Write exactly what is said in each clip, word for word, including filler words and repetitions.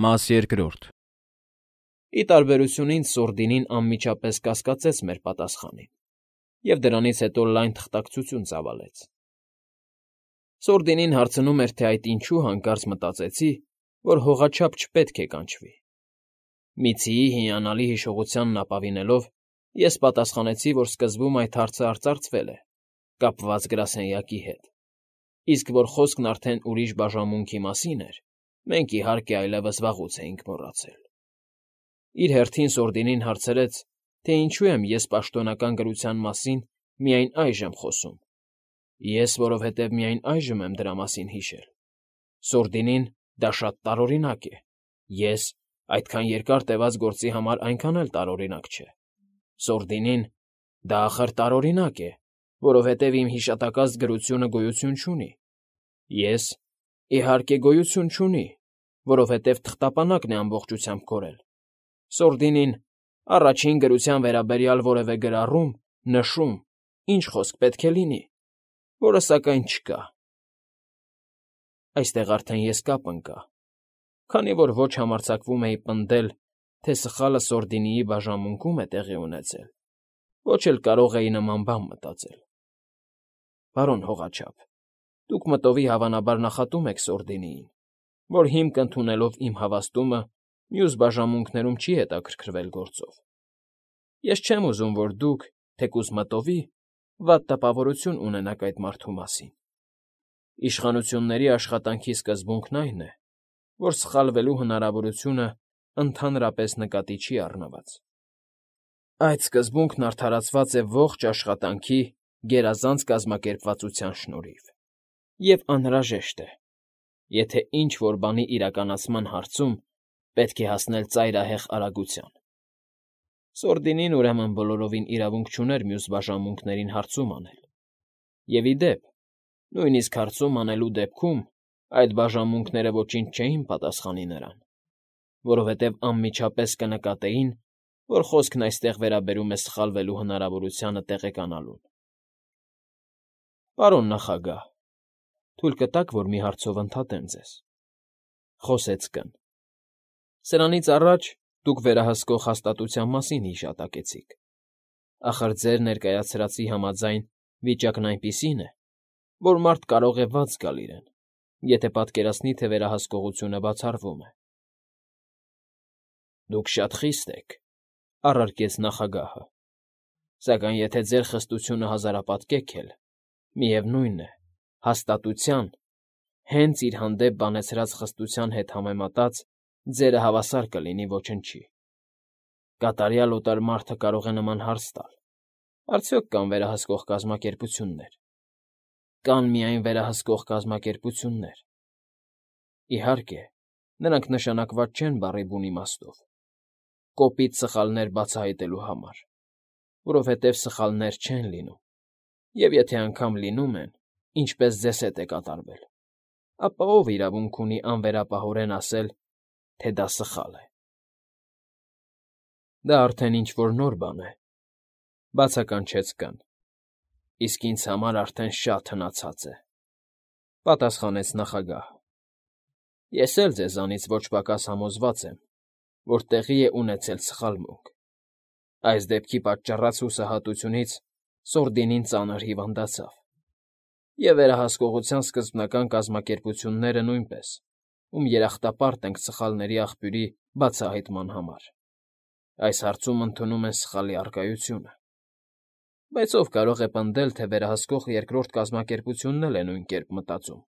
Մաս երկրորդ Ի տարբերություն ինձ Սորդինին անմիջապես կասկածեց մեր պատասխանին և դրանից հետո լայն թղթակցություն ծավալեց։ Սորդինին հարցնում էր, թե այդ ինչու հանկարծ մտածեցի, որ հողաչափ չպետք է կանչվի։ Միցիի հիանալի հիշողությանն ապավինելով, ես պատասխանեցի, որ սկզբում այդ հարցը արծարծվել է, կապված գրասենյակի հետ, իսկ որ խոսքն արդեն ուրիշ բաժանմունքի մասին էր, մենք, իհարկե, այլևս վաղուց էինք մոռացել։ Իր հերթին Սորդինին հարցրեց, թե ինչու եմ ես պաշտոնական գրության մասին միայն այժմ խոսում։ Ես, որովհետև միայն այժմ եմ դրա մասին հիշել։ Սորդինին դա շատ տարօրինակ է։ Ես այդքան երկար տևած գործի համար այնքան էլ տարօրինակ չէ։ Սորդինին դա ախր տարօրինակ է, որովհետև իմ հիշատակած գրությունը գոյություն չունի։ Ես, իհարկե, գոյություն չունի, որովհետև թղթապանակն է ամբողջությամբ կորել։ Սորդինին առաջին գրության վերաբերյալ որևէ գրառում, նշում, ինչ խոսք պետք է լինի, որը, սակայն, չկա։ Այստեղ արդեն ես կապ ընկա, քանի որ ոչ համարձակվում էի պնդել, թե սխալը Սորդինիի բաժանմունքում է տեղի ունեցել, ոչ էլ կարող էի նման բան մտածել։ Պարոն հողաչափ, դուք մտովի հավանաբար նախատում եք Սորդինիին, որ հիմք ընդունելով իմ հավաստումը մյուս բաժանմունքներում չի հետաքրքրվել գործով։ Ես չեմ ուզում, որ դուք, թեկուզ մտովի, վատ տպավորություն ունենաք այդ մարդու մասին։ Իշխանությունների աշխատանքի սկզբունքն այն է, որ սխալվելու հնարավորությունը ընդհանրապես նկատի չի առնված։ Այդ սկզբունքն արդարացված է ողջ աշխատանքի գերազանց կազմակերպվածության շնորհիվ և անհրաժեշտ է, եթե ինչ֊որ բանի իրականացման հարցում պետք է հասնել ծայրահեղ արագության։ Սորդինին, ուրեմն, բոլորովին իրավունք չուներ մյուս բաժանմունքներին հարցում անել։ Եվ, ի դեպ, նույնիսկ հարցում անելու դեպքում այդ բաժանմունքները ոչինչ չէին պատասխանի նրան, որովհետև անմիջապես կնկատեին, որ խոսքն այստեղ վերաբերում է սխալվելու հնարավորությանը տեղեկանալուն։ Պարոն նախագահ, թույլ կտա՞ք, որ մի հարցով ընդհատեմ ձեզ,֊ խոսեց Կ֊ն։ Սրանից առաջ դուք վերահսկող հաստատության մասին հիշատակեցիք։ Ախր ձեր ներկայացրածի համաձայն վիճակն այնպիսին է, որ մարդ կարող է վատ զգալ իրեն, եթե պատկերացնի, թե վերահսկողությունը բացառվում է։ Դուք շատ խիստ եք,֊ առարկեց նախագահը,֊ սակայն եթե ձեր խստությունը հազարապատկեք էլ, միևնույն է, հաստատության, հենց իր հանդեպ բանեցրած խստության հետ համեմատած ձերը հավասար կլինի ոչնչի։ Կատարյալ օտար մարդը կարող է նման հարց տալ. արդյոք կան վերահսկող կազմակերպություններ։ Կան միայն վերահսկող կազմակերպություններ։ Իհարկե, նրանք նշանակված չեն բառի բուն իմաստով, կոպիտ սխալներ բացահայտելու համար, որովհետև սխալներ չեն լինում, և եթե անգամ լինում են, ինչպես ձեզ հետ է կատարվել, ապա ո՞վ իրավունք ունի անվերապահորեն ասել, թե դա սխալ է։ Դա արդեն ինչ֊որ նոր բան է,֊ բացականչեց Կ֊ն,֊ իսկ ինձ համար արդեն շատ հնացած է,֊ պատասխանեց նախագահը։ Ես էլ ձեզանից ոչ պակաս համոզված եմ, որ տեղի է ունեցել սխալմունք։ Այս դեպքի պատճառած հուսահատությունից Սորդինին ծանր հիվանդացավ, և վերահսկողության սկզբնական կազմակերպությունները նույնպես, ում երախտապարտ ենք սխալների աղբյուրի բացահայտման համար, այս հարցում ընդունում են սխալի առկայությունը։ Բայց ո՞վ կարող է պնդել, թե վերահսկող երկրորդ կազմակերպությունն էլ է նույն կերպ մտածում,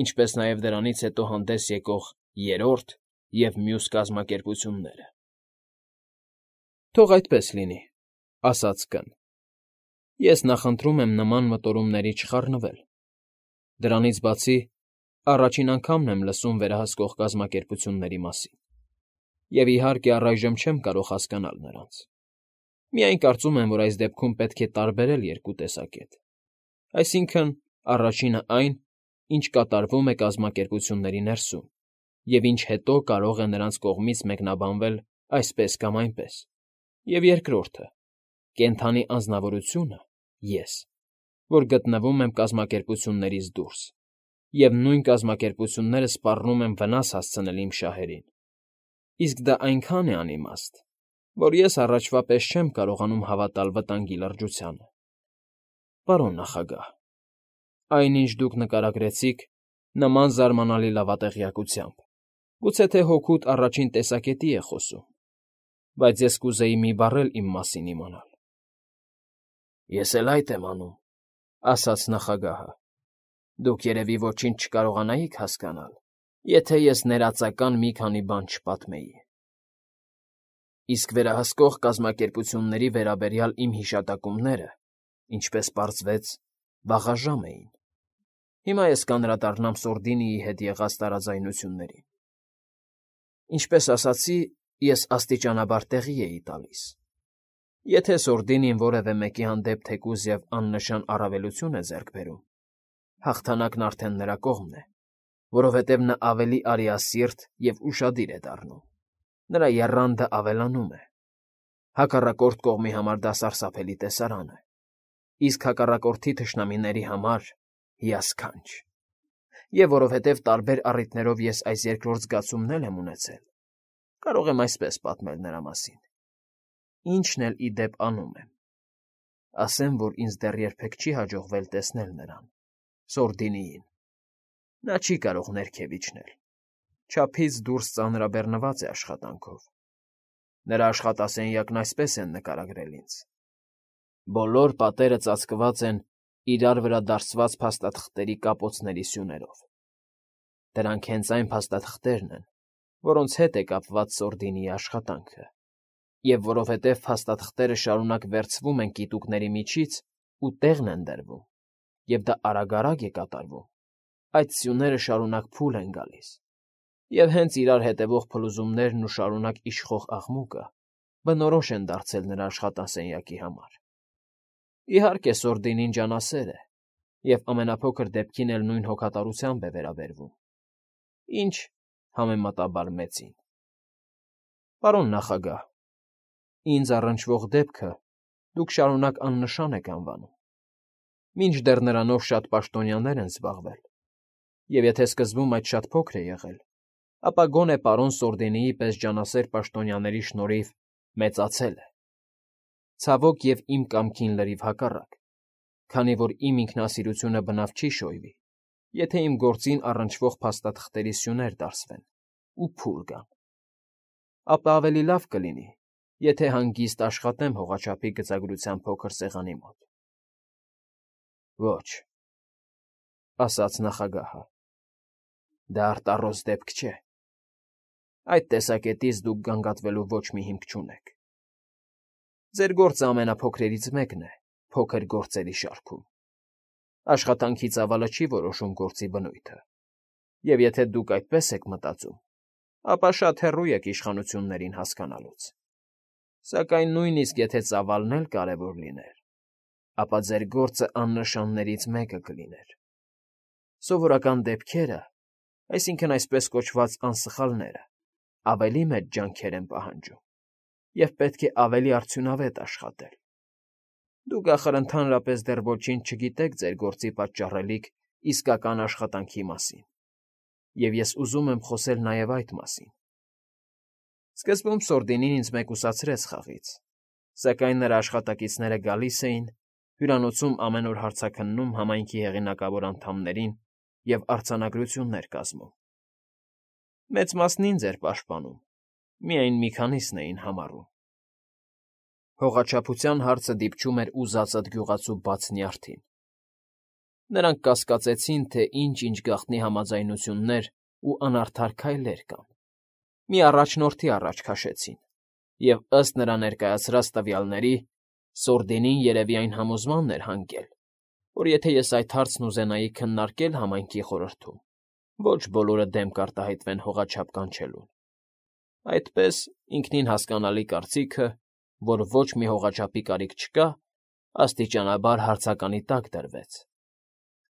ինչպես նաև դրանից հետո հանդես եկող երրորդ և մյուս կազմակերպությունները։ Թող այդպես լինի,֊ ասաց Կ֊ն։ Ես նախընտրում եմ նման մտորումների չխառնվել։ Դրանից բացի, առաջին անգամն եմ լսում վերահսկող կազմակերպությունների մասին, և, իհարկե, առայժմ չեմ կարող հասկանալ նրանց։ Միայն կարծում եմ, որ այս դեպքում պետք է տարբերել երկու տեսակետ, այսինքն՝ առաջինը այն, ինչ կատարվում է կազմակերպությունների ներսում, և ինչ հետո կարող է նրանց կողմից մեկնաբանվել այսպես կամ այնպես, և երկրորդը՝ կենդանի անձնավորությունը՝ ես, որ գտնվում եմ կազմակերպություններից դուրս, և նույն կազմակերպությունները սպառնում են վնաս հասցնել իմ շահերին։ Իսկ դա այնքան է անիմաստ, որ ես առաջվա պես չեմ կարողանում հավատալ վտանգի լրջությանը։ Պարոն նախագահ, այն, ինչ դուք նկարագրեցիք, նման զարմանալի լավատեղյակությամբ, գուցե թե հոգուդ առաջին տեսակետի է խոսում, բայց ես կուզեի մի բառ էլ իմ մասին իմանալ։ ֊ Ես էլ այդ եմ անում,֊ ասաց նախագահը։ Դուք երևի ոչինչ չկարողանայիք հասկանալ, եթե ես ներածական մի քանի բան չպատմեի։ Իսկ վերահսկող կազմակերպությունների վերաբերյալ իմ հիշատակումները, ինչպես պարզվեց, վաղաժամ էին։ Հիմա ես կանդրադառնամ Սորդինիի հետ եղած տարաձայնություններին։ Ինչպես ասացի, ես աստիճանաբար տեղի էի տալիս։ Եթե Սորդինին որևէ մեկի հանդեպ թեկուզ և աննշան առավելություն է ձեռք բերում, հաղթանակն արդեն նրա կողմն է, որովհետև նա ավելի արիասիրտ և ուշադիր է դառնում, նրա եռանդը ավելանում է։ Հակառակորդ կողմի համար դա սարսափելի տեսարան է, իսկ հակառակորդի թշնամիների համար՝ հիասքանչ։ Եվ որովհետև տարբեր առիթներով ես այս երկրորդ զգացումն էլ եմ ունեցել, կարող եմ այսպես պատմել նրա մասին, ինչն էլ ի դեպ անում եմ։ Ասեմ, որ ինձ դեռ երբեք չի հաջողվել տեսնել նրան, Սորդինիին։ Նա չի կարող ներքև իջնել, չափից դուրս ծանրաբեռնված է աշխատանքով։ Նրա աշխատասենյակն այսպես են նկարագրել ինձ. բոլոր պատերը ծածկված են իրար վրա դարսված փաստաթղթերի կապոցների սյուներով։ Դրանք հենց այն փաստաթղթերն են, որոնց հետ է կապված Սորդինիի աշխատանքը, և որովհետև փաստաթղթերը շարունակ վերցվում են կիտուկների միջից ու տեղն են դրվում, և դա արագ֊արագ է կատարվում, այդ սյուները շարունակ փուլ են գալիս, և հենց իրար հետևող փլուզումներն ու շարունակ իշխող աղմուկը բնորոշ են դարձել նրա աշխատասենյակի համար։ Իհարկե, Սորդինին ջանասեր է և ամենափոքր դեպքին էլ նույն հոգատարությամբ է վերաբերվում, ինչ համեմատաբար մեծին։ Պարոն նախագահ, ինձ առնչվող դեպքը դուք շարունակ աննշան եք անվանում, մինչդեռ նրանով շատ պաշտոնյաներ են զբաղվել, և եթե սկզբում այդ շատ փոքր է եղել, ապա գոնե պարոն Սորդինիի պես ջանասեր պաշտոնյաների շնորհիվ մեծացել է։ Ցավոք և իմ կամքին լրիվ հակառակ, քանի որ իմ ինքնասիրությունը բնավ չի շոյվի, եթե իմ գործին առնչվող փաստաթղթերի սյուներ դարսվեն ու փուլ գան, ապա ավելի լավ կլինի, եթե հանգիստ աշխատեմ հողաչափի գծագրության փոքր սեղանի մոտ։ ֊ Ոչ,֊ ասաց նախագահը,֊ դա արտառոս դեպք չէ։ Այդ տեսակետից դուք գանգատվելու ոչ մի հիմք չունեք։ Ձեր գործը ամենափոքրերից մեկն է փոքր գործերի շարքում։ Աշխատանքի ծավալը չի որոշում գործի բնույթը, և եթե դուք այդպես եք մտածում, ապա շատ հեռու եք իշխանություններին հասկանալուց։ Սակայն նույնիսկ եթե ծավալն էլ կարևոր լիներ, ապա ձեր գործը աննշաններից մեկը կլիներ։ Սովորական դեպքերը, այսինքն այսպես կոչված անսխալները, ավելի մեծ ջանքեր են պահանջում, և պետք է ավելի արդյունավետ աշխատել։ Դուք, ախր, ընդհանրապես դեռ ոչինչ չգիտեք ձեր գործի պատճառելիք իսկական աշխատանքի մասին, և ես ուզում եմ խոսել նաև այդ մասին։ Սկզբում Սորդինին ինձ մեկուսացրեց խաղից, սակայն նրա աշխատակիցները գալիս էին, հյուրանոցում ամեն օր հարցաքննում համայնքի հեղինակավոր անդամներին և արձանագրություններ կազմում։ Մեծ մասն ինձ էր պաշտպանում, միայն մի քանիսն էին համառում։ Հողաչափության հարցը դիպչում էր ուզածդ գյուղացու բաց նյարդին։ Նրանք կասկածեցին, թե ինչ֊ինչ գաղտնի համաձայնություններ ու անարդար քայլեր կան։ Մի առաջնորդի առաջ քաշեցին, և, ըստ նրա ներկայացրած տվյալների, Սորդինին երևի այն համոզմանն էր հանգել, որ եթե ես այդ հարցն ուզենայի քննարկել համայնքի խորհրդում, ոչ բոլորը դեմ կարտահայտվեն հողաչափ կանչելուն։ Այդպես, ինքնին հասկանալի կարծիքը, որ ոչ մի հողաչափի կարիք չկա, աստիճանաբար հարցականի տակ դրվեց։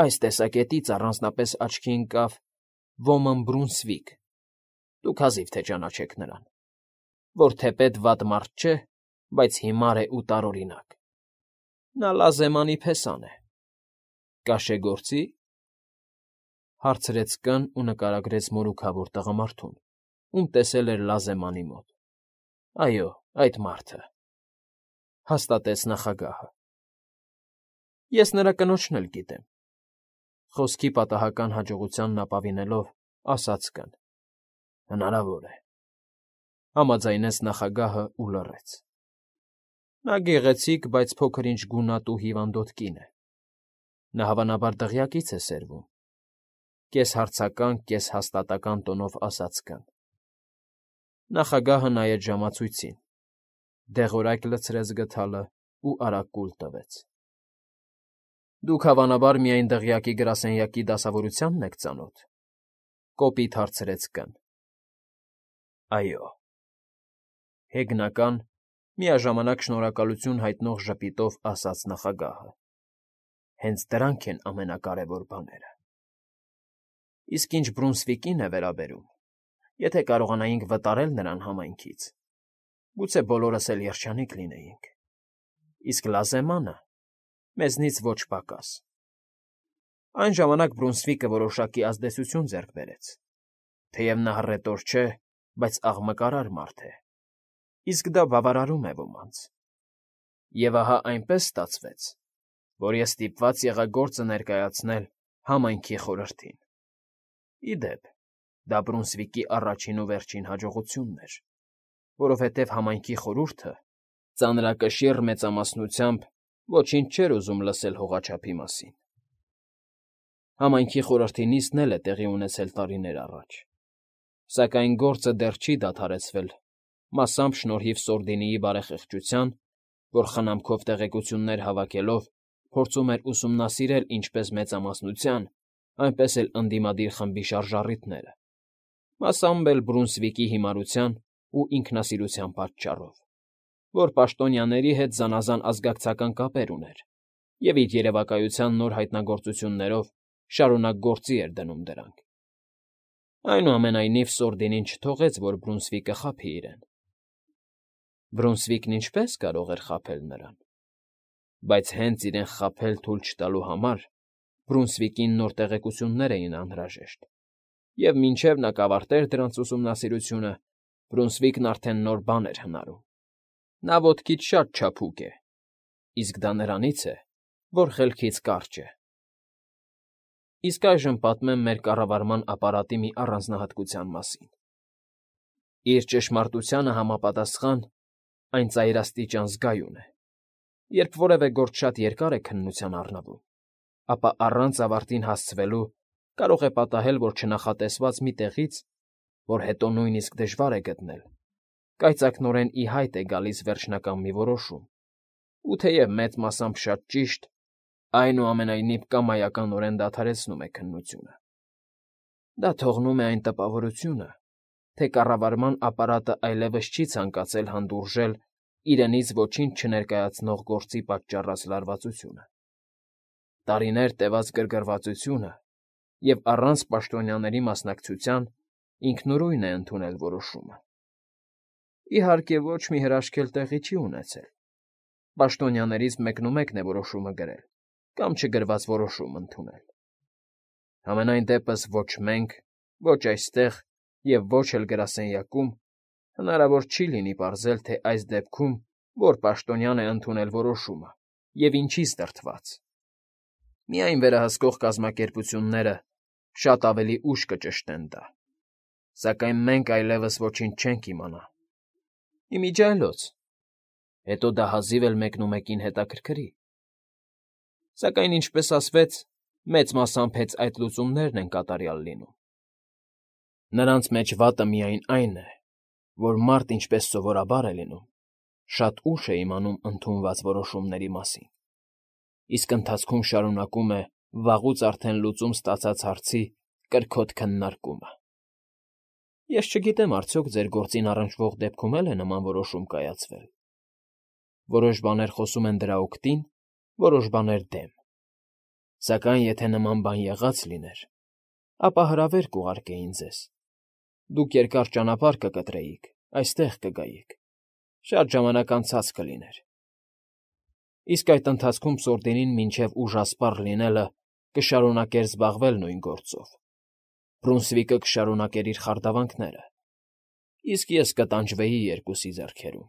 Այս տեսակետից առանձնապես աչքի ընկավ Ոմն Բրունսվիկ, դուք հազիվ թե ճանաչեք նրան, որ թեպետ վատ մարդ չէ, բայց հիմար է ու տարօրինակ։ Նա լազեմանի փեսան է։ ֊ Կաշեգործի՞ր,֊ հարցրեց կն ու նկարագրեց մորուքավոր տղամարդուն, ում տեսել էր Լազեմանի մոտ։ Այո, այդ մարդը,֊ հաստատեց նախագահը։ Ես նրա կնոջն էլ գիտեմ,֊ խոսքի պատահական հաջողությանն ապավինելով ասաց կին։ Հնարավոր է,֊ համաձայնեց նախագահը ու լռեց։ Նա գեղեցիկ, բայց փոքր-ինչ գունատ ու հիվանդոտ կին է։ Նա հավանաբար դղյակից է սերվում,֊ կես֊հարցական, կես֊հաստատական տոնով ասաց կին։ Նախագահը նայեց ժամացույցին, դեղորայք լցրեց գդալը ու արագ կուլ տվեց։ Դուք հավանաբար միայն դղյակի գրասենյակի դասավորությանն եք ծանոթ,֊ կոպիտ հարցրեց կին։ Այո,֊ հեգնական, միաժամանակ շնորհակալություն հայտնող ժպիտով ասաց նախագահը։ Հենց դրանք են ամենակարևոր բաները։ Իսկ ինչ Բրունսվիկին է վերաբերում, եթե կարողանայինք վտարել նրան համայնքից, գուցե բոլորս էլ երջանիկ լինեինք, իսկ Լազեմանը մեզնից ոչ պակաս։ Այն ժամանակ Բրունսվիկը որոշակի ազդեցություն ձեռք բերեց, թեև նա հռետոր չէ, բայց աղմկարար մարդ է, իսկ դա բավարարում է ոմանց։ Եվ ահա այնպես ստացվեց, որ ես ստիպված եղա գործը ներկայացնել համայնքի խորհրդին։ Ի դեպ, դա Բրունսվիկի առաջին ու վերջին հաջողությունն էր, որովհետև համայնքի խորհուրդը ծանրակշիռ մեծամասնությամբ ոչինչ չէր ուզում լսել հողաչափի մասին։ Համայնքի խորհրդի նիստն էլ է տեղի ունեցել տարիներ առաջ, սակայն գործը դեռ չի դադարեցվել, մասամբ շնորհիվ Սորդինիի բարեխիղճության, որ խնամքով տեղեկություններ հավաքելով փորձում էր ուսումնասիրել ինչպես մեծամասնության, այնպես էլ ընդդիմադիր խմբի շարժառիթները, մասամբ էլ Բրունսվիկի հիմարության ու ինքնասիրության պատճառով, որ պաշտոնյաների հետ զանազան ազգակցական կապեր ուներ և իր երևակայության նոր հայտնագործություններով շարունակ գործի էր դնում դրանք։ Այնուամենայնիվ Սորդինին չթողեց, որ Բրունսվիկը խաբի իրեն։ Բրունսվիկն ինչպե՞ս կարող էր խաբել նրան։ Բայց հենց իրեն խաբել թույլ չտալու համար Բրունսվիկին նոր տեղեկություններ էին անհրաժեշտ, և մինչև նա կավարտեր դրանց ուսումնասիրությունը, Բրունսվիկն արդեն նոր բան էր հնարում։ Նա ոտքից շատ չափուկ է, իսկ դա նրանից է, որ խելքից կարճ է։ Իսկ այժմ պատմեմ մեր կառավարման ապարատի մի առանձնահատկության մասին։ Իր ճշմարտությանը համապատասխան, այն ծայրաստիճան զգայուն է։ Երբ որևէ գործ շատ երկար է քննության առնվում, ապա առանց ավարտին հասցվելու կարող է պատահել, որ չնախատեսված մի տեղից, որ հետո նույնիսկ դժվար է գտնել, կայծակնորեն ի հայտ է գալիս վերջնական մի որոշում, ու թեև մեծ մասամբ շատ ճիշտ, այնուամենայնիվ կամայականորեն դադարեցնում է քննությունը։ Դա թողնում է այն տպավորությունը, թե կառավարման ապարատը այլևս չի ցանկացել հանդուրժել իրենից ոչինչ չներկայացնող գործի պատճառած լարվածությունը։ Տարիներ տևած գրգռվածությունը և առանց պաշտոնյաների մասնակցության ինքնուրույն է ընդունել որոշումը։ Իհարկե, ոչ մի հրաշք էլ տեղի չի ունեցել։ Պաշտոնյաներից մեկնումեկն է որոշումը գրել կամ չգրված որոշում ընդունել։ Համենայն դեպս ոչ մենք, ոչ այստեղ և ոչ էլ գրասենյակում հնարավոր չի լինի պարզել, թե այս դեպքում որ պաշտոնյան է ընդունել որոշումը և ինչից դրդված։ Միայն վերահսկող կազմակերպությունները շատ ավելի ուշ կճշտեն դա, սակայն մենք այլևս ոչինչ չենք իմանա։ Իմիջիայլոց, հետո դա հազիվ էլ մեկնումեկին հետաքրքրի։ Սակայն, ինչպես ասվեց, մեծ մասամբ հենց այդ լուծումներն են կատարյալ լինում։ Նրանց մեջ վատը միայն այն է, որ մարդ, ինչպես սովորաբար է լինում, շատ ուշ է իմանում ընդունված որոշումների մասին, իսկ ընթացքում շարունակում է վաղուց արդեն լուծում ստացած հարցի կրքոտ քննարկումը։ Ես չգիտեմ արդյոք ձեր գործին առնչվող դեպքում էլ է նման որոշում կայացվել։ Որոշ բաներ խոսում են դրա օգտին, որոշ բաներ՝ դեմ։ Սակայն եթե նման բան եղած լիներ, ապա հրավեր կուղարկեին ձեզ։ Դուք երկար ճանապարհ կկտրեիք, այստեղ կգայիք, շատ ժամանակ անցած կլիներ։ Իսկ այդ ընթացքում Սորդինին մինչև ուժասպառ լինելը կշարունակեր զբաղվել նույն գործով։ Բրունսվիկը կշարունակեր իր խարդավանքները, իսկ ես կտանջվեի երկուսի ձեռքերում։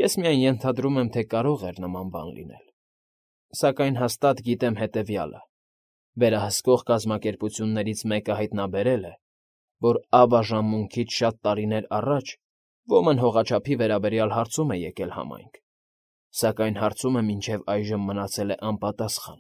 Ես միայն ենթադրում եմ, թե կարող էր նման բան լինել, սակայն հաստատ գիտեմ հետևյալը. վերահսկող կազմակերպություններից մեկը հայտնաբերել է, որ ավաժամունքից շատ տարիներ առաջ ոմն հողաչափի վերաբերյալ հարցում է եկել համայնք, սակայն հարցումը մինչև այժմ մնացել է անպատասխան։